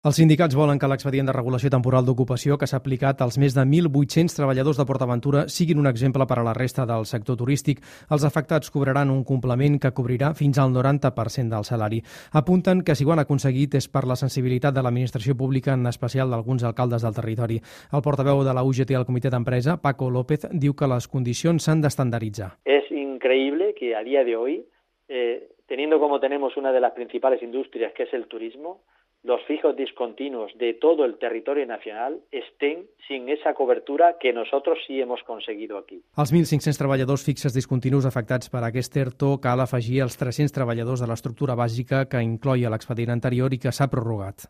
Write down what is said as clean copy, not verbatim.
Els sindicats volen que l'expedient de regulació temporal d'ocupació que s'ha aplicat als més de 1.800 treballadors de PortAventura siguin un exemple per a la resta del sector turístic. Els afectats cobraran un complement que cobrirà fins al 90% del salari. Apunten que si ho han aconseguit és per la sensibilitat de l'administració pública, en especial d'alguns alcaldes del territori. El portaveu de la UGT al comitè d'empresa, Paco López, diu que les condicions s'han d'estandarditzar. Es increíble que a día de hoy, teniendo como tenemos una de las principales industrias que es el turismo, los fijos discontinuos de todo el territorio nacional estén sin esa cobertura que nosotros sí hemos conseguido aquí. Als 1.500 treballadors fixes discontinus afectats per aquest ERTO cal afegir els 300 treballadors de l'estructura bàsica que incloïa l'expedient anterior i que s'ha prorrogat.